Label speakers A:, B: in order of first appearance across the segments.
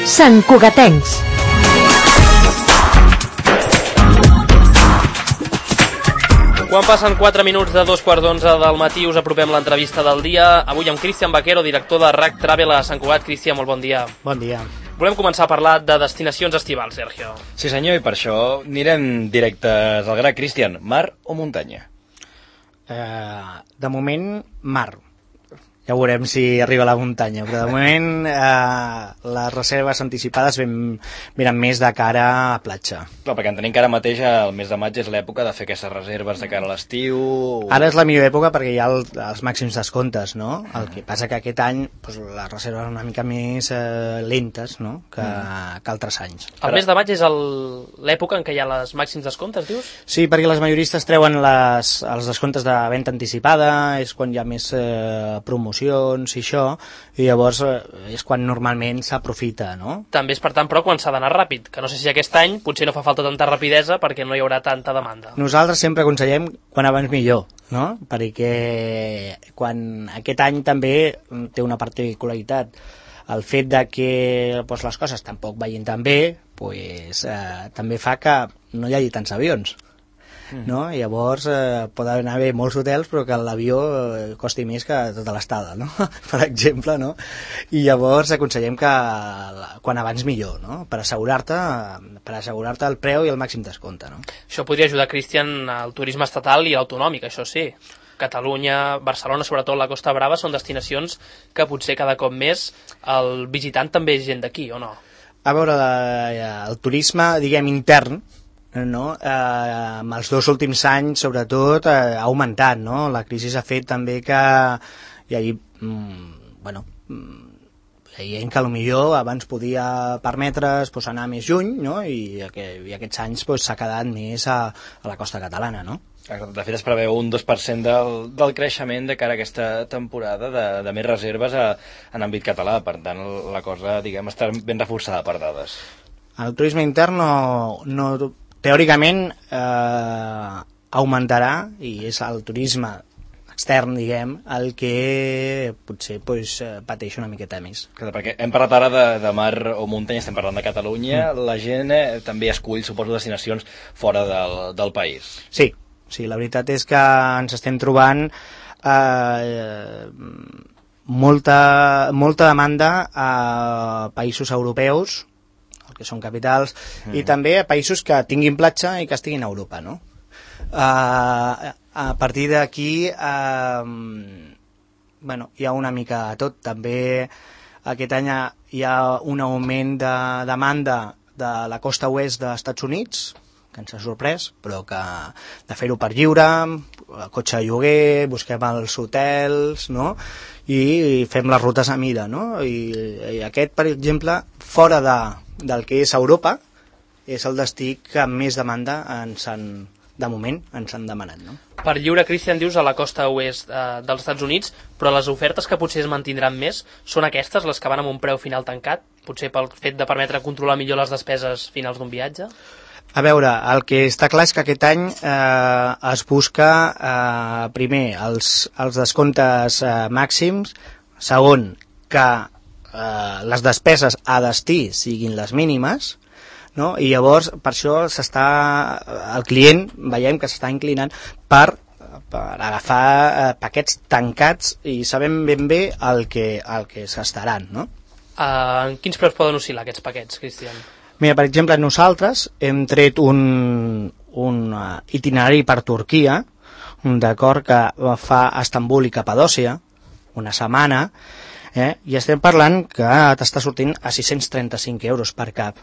A: Sant Cugatencs.
B: Quan passen 4 minuts de 2:15 del matí us apropem l'entrevista del dia. Avui amb Cristian Vaquero, director de RAC Travel a Sant Cugat. Cristian, molt bon dia.
C: Bon dia.
B: Volem començar a parlar de destinacions estivals, Sergio.
D: Sí senyor, i per això anirem directes al gra. Cristian, mar o muntanya?
C: De moment, mar. Ja veurem si arriba a la muntanya, però de moment les reserves anticipades venen més de cara a platja.
D: Clar, perquè entenem que ara mateix el mes de maig és l'època de fer aquestes reserves de cara a l'estiu.
C: Ara és la millor època perquè hi ha els màxims descomptes, no? El que passa que aquest any les reserves són una mica més lentes, no? que altres anys.
B: El mes de maig és l'època en què hi ha els màxims descomptes, dius?
C: Sí, perquè les majoristes treuen els descomptes de venda anticipada, és quan hi ha més promoció i això, i llavors és quan normalment s'aprofita, no?
B: També és per tant, però, quan s'ha d'anar ràpid, que no sé si aquest any potser no fa falta tanta rapidesa perquè no hi haurà tanta demanda.
C: Nosaltres sempre aconsellem quan abans millor, no? Perquè quan aquest any també té una particularitat, el fet de que les coses tampoc vagin tan bé també fa que no hi hagi tants avions. No? I llavors poden haver molts hotels però que l'avió costi més que tota l'estada, no? Per exemple, no? I llavors aconsellem que quan abans millor, no? Per assegurar-te el preu i el màxim descompte, no?
B: Això podria ajudar, Cristian, al turisme estatal i l'autonòmic, això sí. Catalunya, Barcelona, sobretot la Costa Brava, són destinacions que potser cada cop més el visitant també és gent d'aquí, o no?
C: A veure, el turisme, diguem, intern, no? Amb els 2 últims anys sobretot ha augmentat, no? La crisi ha fet també que hi hagi gent que potser abans podia permetre's anar més lluny, no? I aquests anys s'ha quedat més a la costa catalana, no?
D: De fet es preveu un 2% del creixement de cara a aquesta temporada de més reserves en àmbit català, per tant la cosa, diguem, està ben reforçada per dades.
C: El turisme intern teòricament augmentarà, i és el turisme extern, diguem, el que potser pateix una miqueta més.
D: Clar, perquè hem parlat ara de mar o muntanya, estem parlant de Catalunya, la gent també escull, suposo, destinacions fora del país.
C: Sí, la veritat és que ens estem trobant molta demanda a països europeus, que són capitals, i també a països que tinguin platja i que estiguin a Europa, no? A partir d'aquí hi ha una mica de tot. També aquest any hi ha un augment de demanda de la costa oest dels Estats Units, que ens ha sorprès, però que de fer-ho per lliure, cotxe de lloguer, busquem els hotels, no? I fem les rutes a mida, no? I aquest, per exemple, fora del que és Europa, és el destí que més demanda de moment ens han demanat, no?
B: Per lliure, Cristian, dius a la costa oest dels Estats Units, però les ofertes que potser es mantindran més són aquestes, les que van amb un preu final tancat, potser pel fet de permetre controlar millor les despeses finals d'un viatge?
C: A veure, el que està clar és que aquest any es busca primer els descomptes màxims, segon que les despeses a destí siguin les mínimes, no? I llavors per això el client veiem que s'està inclinant per agafar paquets tancats i sabem ben bé el que es gastaran, no?
B: En quins preus poden oscil·lar aquests paquets, Cristian?
C: Mira, per exemple, nosaltres hem tret un itinerari per Turquia, d'acord, que fa a Estambul i Capadòcia, una setmana, i estem parlant que t'està sortint a 635 euros per cap,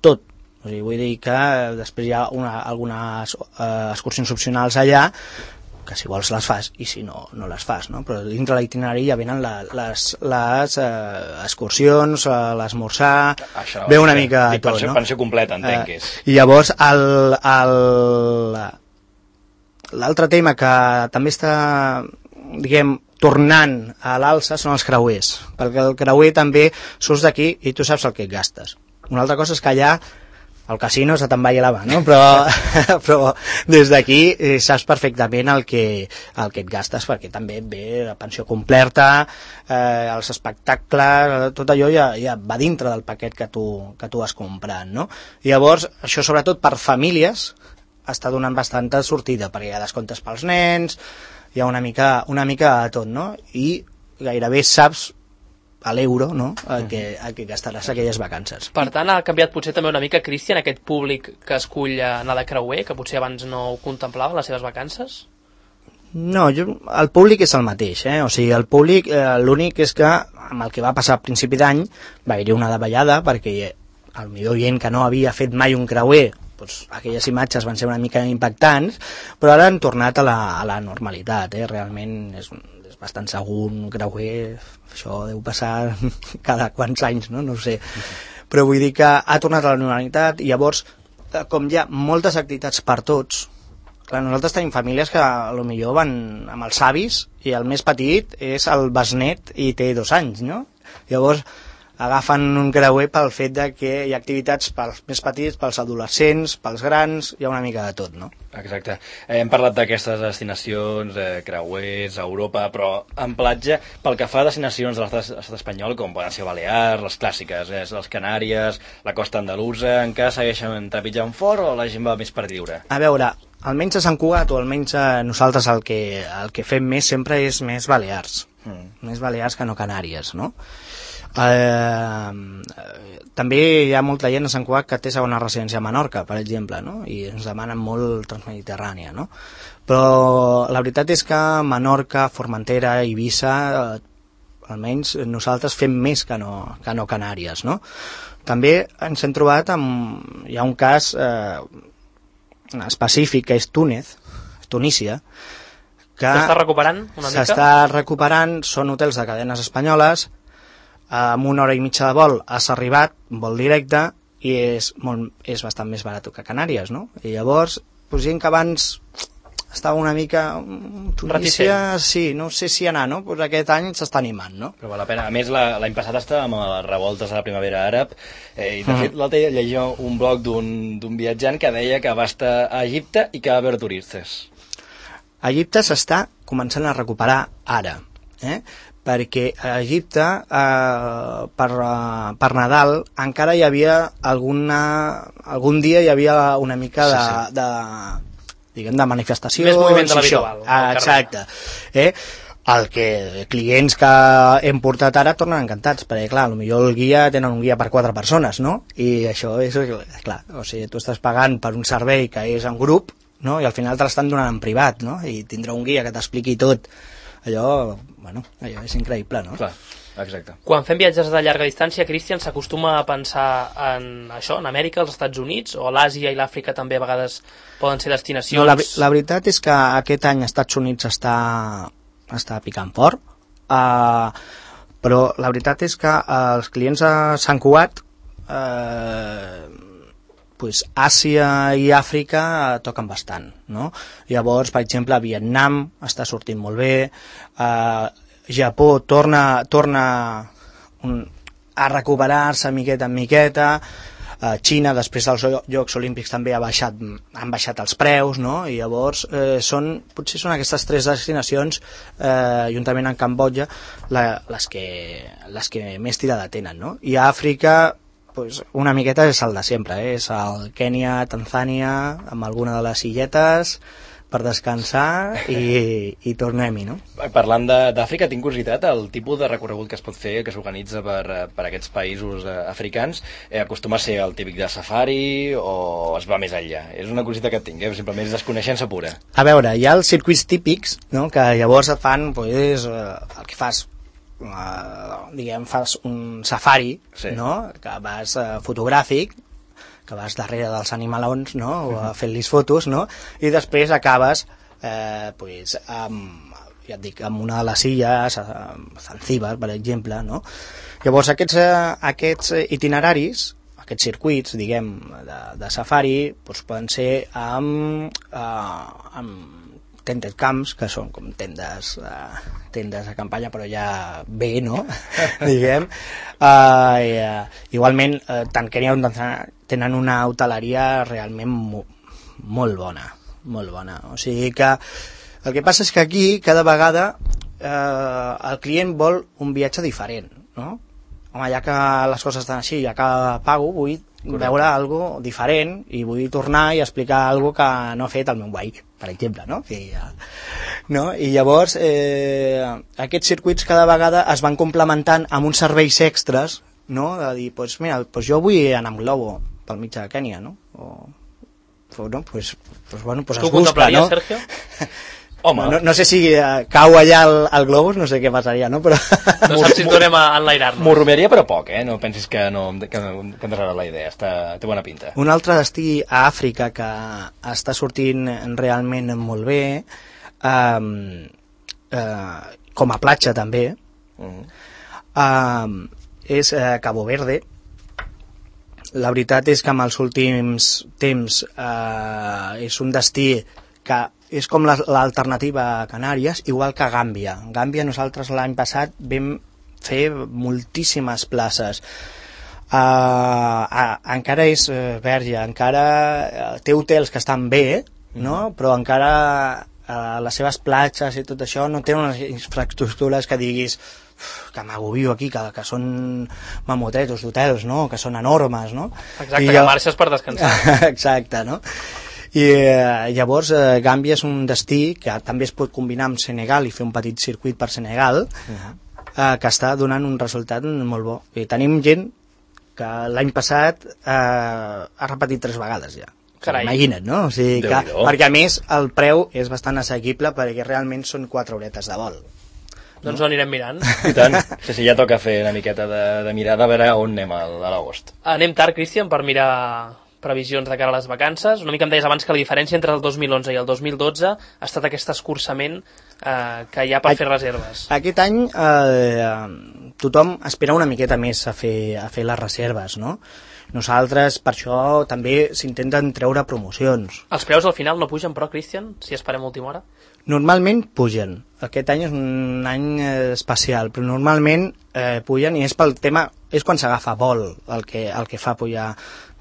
C: tot. O sigui, vull dir que després hi ha algunes excursions opcionals allà, que si vols les fas i si no, no les fas, no? Però dintre l'itinerari ja venen les excursions, l'esmorzar, ve una mica tot, no?
D: Pensió completa, entenc que és.
C: I llavors l'altre tema que també està, diguem, tornant a l'alça són els creuers, perquè el creuer també surts d'aquí i tu saps el que et gastes. Una altra cosa és que allà el casino se te'n va a la mà, no? Però des d'aquí saps perfectament el que et gastes, perquè també ve la pensió completa, els espectacles, tot allò ja va dintre del paquet que tu has comprat, no? I llavors, això sobretot per famílies està donant bastanta sortida, perquè hi ha descomptes pels nens, hi ha una mica de tot, no? I gairebé saps a l'euro, no?, el que gastaràs aquelles vacances.
B: Per tant, ha canviat potser també una mica, Cristian, aquest públic que escull anar de creuer, que potser abans no ho contemplava, les seves vacances?
C: No, el públic és el mateix, o sigui, el públic, l'únic és que amb el que va passar a principi d'any va haver-hi una davallada, perquè el millor gent que no havia fet mai un creuer, doncs aquelles imatges van ser una mica impactants, però ara han tornat a la normalitat, realment és bastant segur un creuer, això deu passar cada quants anys, no ho sé, però vull dir que ha tornat a la normalitat, i llavors, com hi ha moltes activitats per tots, clar, nosaltres tenim famílies que potser van amb els avis, i el més petit és el besnet i té 2 anys, no? Llavors agafen un creuer pel fet de que hi ha activitats pels més petits, pels adolescents, pels grans, hi ha una mica de tot, no?
D: Exacte. Hem parlat d'aquestes destinacions, creuers, a Europa, però en platja, pel que fa a destinacions de l'estat espanyol, com poden ser Balears, les clàssiques, les Canàries, la costa andalusa, encara segueixen trepitjant fort o la gent va més per lliure?
C: A veure, almenys a Sant Cugat, o almenys nosaltres el que fem més sempre és més Balears. Més Balears que no Canàries, no? També hi ha molta gent a Sant Cugat que té segona residència a Menorca, per exemple, no? I ens demanen molt transmediterrània, no? Però la veritat és que Menorca, Formentera, Eivissa, almenys nosaltres fem més que no Canàries, no? També ens hem trobat hi ha un cas específic, que és Tunísia, que
B: s'està recuperant una mica?
C: S'està recuperant, són hotels de cadenes espanyoles, amb 1 hora i mitja de vol has arribat, vol directe, i és bastant més barat que Canàries, no? I llavors, gent que abans estava una mica... Tunísia, sí, no sé si anar, no? Pues aquest any s'està animant, no?
D: Però val la pena. A més, l'any passat estava amb les revoltes de la primavera àrab, i de fet l'altre dia llegia un blog d'un viatjant que deia que va estar a Egipte i que va haver turistes.
C: A Egipte s'està començant a recuperar ara, perquè a Egipte per Nadal encara hi havia algun dia hi havia una mica de manifestació,
B: més moviment de l'habitual,
C: exacte, el que clients que hem portat ara tornen encantats, perquè clar, potser tenen un guia per 4 persones, no? I això és clar, o sigui, tu estàs pagant per un servei que és en grup, no? I al final te l'estan donant en privat, no? I tindrà un guia que t'expliqui tot. Allò és increïble, no?
D: Clar, exacte.
B: Quan fem viatges de llarga distància, Cristian, s'acostuma a pensar en això, en Amèrica, als Estats Units, o l'Àsia i l'Àfrica també a vegades poden ser destinacions?
C: No, la veritat és que aquest any als Estats Units està picant fort, però la veritat és que els clients a Sant Cugat, Àsia i Àfrica toquen bastant, no? Llavors, per exemple, Vietnam està sortint molt bé, Japó torna a recuperar-se miqueta en miqueta, Xina, després dels Jocs Olímpics, també han baixat els preus, no? I llavors potser són aquestes 3 destinacions, juntament amb Cambodja, les que més tirada tenen, no? I a Àfrica, una miqueta és el de sempre, és el Kènia, Tanzània, amb alguna de les illetes per descansar i tornem-hi, no?
D: Parlant d'Àfrica, tinc curiositat, el tipus de recorregut que es pot fer, que s'organitza per aquests països africans, acostuma a ser el típic de safari o es va més enllà? És una curiositat que tinc, simplement és desconeixença pura.
C: A veure, hi ha els circuits típics, no?, que llavors et fan, el que fas, fas un safari, sí, no?, que vas fotogràfic, que vas darrere dels animalons, no?, fent-los fotos, no?, i després acabes amb una de les illes, Zanzíbar, per exemple, no? Llavors aquests itineraris, aquests circuits, de safari, poden ser amb tented camps, que són com tendes de campanya, però ja bé, no? Igualment, tant Kènia com tenen una hoteleria realment molt bona, molt bona. O sigui que el que passa és que aquí cada vegada el client vol un viatge diferent, no? Home, ja que les coses estan així, ja que pago, vull veure algo diferent i vull tornar i explicar algo que no ha fet el meu veí, per exemple, no? I llavors aquests circuits cada vegada es van complementant amb uns serveis extras, no? De dir, pues mira, pues jo vull anar amb globo pel mig de Kènia, no? Pues es busca, no?
B: Sergio?
C: Home, no sé si cau allà el globus, no sé què passaria, no? Però...
B: No saps si tornem a enlairar-nos.
D: M'ho rumiaria, però poc, No pensis que ens agrada la idea, té bona pinta.
C: Un altre destí a Àfrica que està sortint realment molt bé, com a platja també, és Cabo Verde. La veritat és que en els últims temps és un destí que és com l'alternativa a Canàries, igual que Gàmbia. Gàmbia nosaltres l'any passat vam fer moltíssimes places. Encara és verge, encara té hotels que estan bé, no? Però encara les seves platges i tot això no tenen unes infraestructures que diguis que m'agobio aquí, que són mamotetos d'hotels, no? Que són enormes, no?
B: Exacte, que marxes per descansar.
C: Exacte, no? I llavors Gàmbia és un destí que també es pot combinar amb Senegal i fer un petit circuit per Senegal, que està donant un resultat molt bo. I tenim gent que l'any passat ha repetit 3 vegades ja.
B: Carai.
C: Imagina't, no? O sigui que, perquè a més el preu és bastant assequible perquè realment són 4 horetes de vol.
B: Doncs ho anirem mirant.
D: I tant. Sí, ja toca fer una miqueta de mirada a veure on anem a l'agost.
B: Anem tard, Cristian, per mirar previsions de cara a les vacances. Una mica em deies abans que la diferència entre el 2011 i el 2012 ha estat aquest escurçament que hi ha per fer reserves.
C: Aquest any tothom espera una miqueta més a fer les reserves, no? Nosaltres, per això, també s'intenten treure promocions.
B: Els preus al final no pugen, però, Cristian, si esperem a última hora?
C: Normalment pugen. Aquest any és un any especial, però normalment pugen i és pel tema, és quan s'agafa vol el que fa pujar,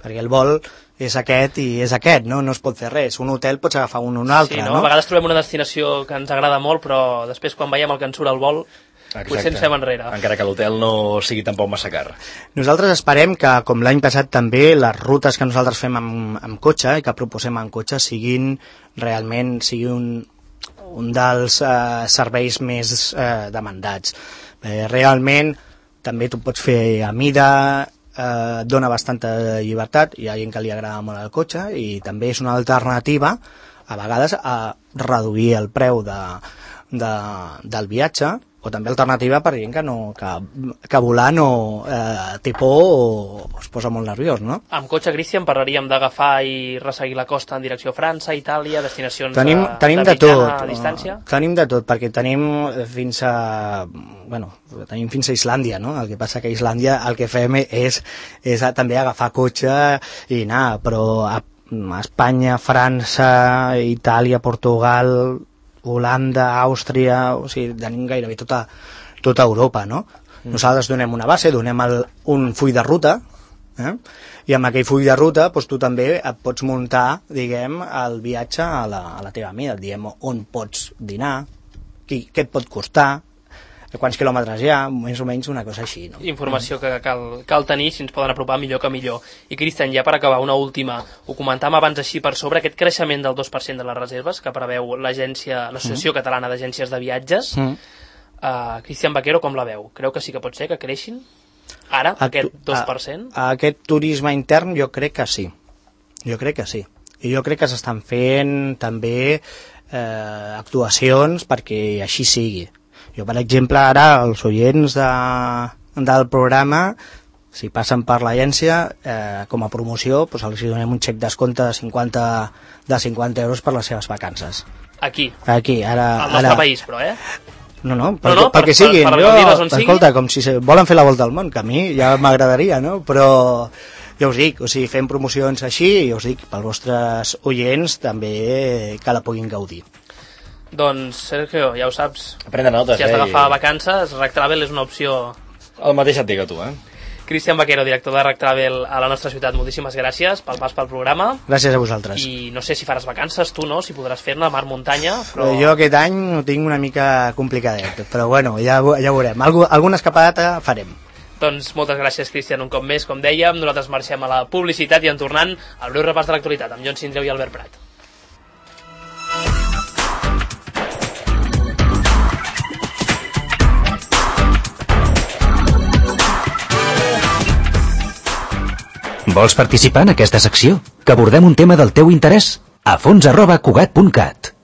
C: perquè el vol és aquest i és aquest, no? No es pot fer res. Un hotel pots agafar un altre,
B: sí, no? A vegades trobem una destinació que ens agrada molt, però després quan veiem el que ens surt el vol, potser ens fem enrere.
D: Encara que l'hotel no sigui tampoc massa car.
C: Nosaltres esperem que, com l'any passat també, les rutes que nosaltres fem amb cotxe i que proposem en cotxe sigui un dels serveis més demandats. Realment, també tu pots fer a mida, dona bastanta llibertat, hi ha gent que li agrada molt el cotxe i també és una alternativa a vegades a reduir el preu del viatge, o també alternativa per gent que volar no té por o es posa molt nerviós, no?
B: Amb cotxe, Cristian, parlaríem d'agafar i resseguir la costa en direcció a França, Itàlia, destinacions
C: tenim
B: de mitjana distància?
C: Tenim de tot, perquè tenim fins a Islàndia, no? El que passa que a Islàndia el que fem és també agafar cotxe i anar, però a Espanya, França, Itàlia, Portugal, Holanda, Àustria, o sigui, tenim gairebé tota Europa, no? Nosaltres donem una base, donem un full de ruta, i amb aquell full de ruta doncs, tu també et pots muntar, diguem, el viatge a la teva mida, et diem on pots dinar, què et pot costar, quants quilòmetres hi ha, més o menys una cosa així, no?
B: Informació que cal tenir, si ens poden apropar millor que millor. I Cristian, ja per acabar, una última, ho comentàvem abans així per sobre, aquest creixement del 2% de les reserves que preveu l'Associació Catalana d'Agències de Viatges. Cristian Vaquero, com la veu? Creu que sí que pot ser que creixin? Ara, aquest 2%?
C: Aquest turisme intern jo crec que sí. Jo crec que sí. I jo crec que s'estan fent també actuacions perquè així sigui. Jo, per exemple, ara els oients del programa, si passen per l'agència, com a promoció, doncs els donem un xec descompte de 50 euros per les seves vacances.
B: Aquí?
C: Aquí, ara...
B: Al nostre país, però,
C: No, perquè siguin. Escolta, com si volen fer la volta al món, que a mi ja m'agradaria, no? Però ja us dic, o sigui, fem promocions així, i us dic, pels vostres oients també que la puguin gaudir.
B: Doncs, Sergio, ja ho saps.
D: Aprendre notes,
B: si has d'agafar vacances, Rack Travel és una opció...
D: El mateix et dic a tu,
B: Cristian Vaquero, director de Rec Travel a la nostra ciutat, moltíssimes gràcies pel pas pel programa.
C: Gràcies a vosaltres.
B: I no sé si faràs vacances tu, no? Si podràs fer-ne mar muntanya, però...
C: Jo aquest any ho tinc una mica complicadet, però bueno, ja veurem. Alguna escapada farem.
B: Doncs moltes gràcies, Cristian, un cop més. Com dèiem, nosaltres marxem a la publicitat i en tornant al breu repàs de l'actualitat amb Jon Sindreu i Albert Prat.
A: Vols participar en aquesta secció? Que abordem un tema del teu interès? afons@cugat.cat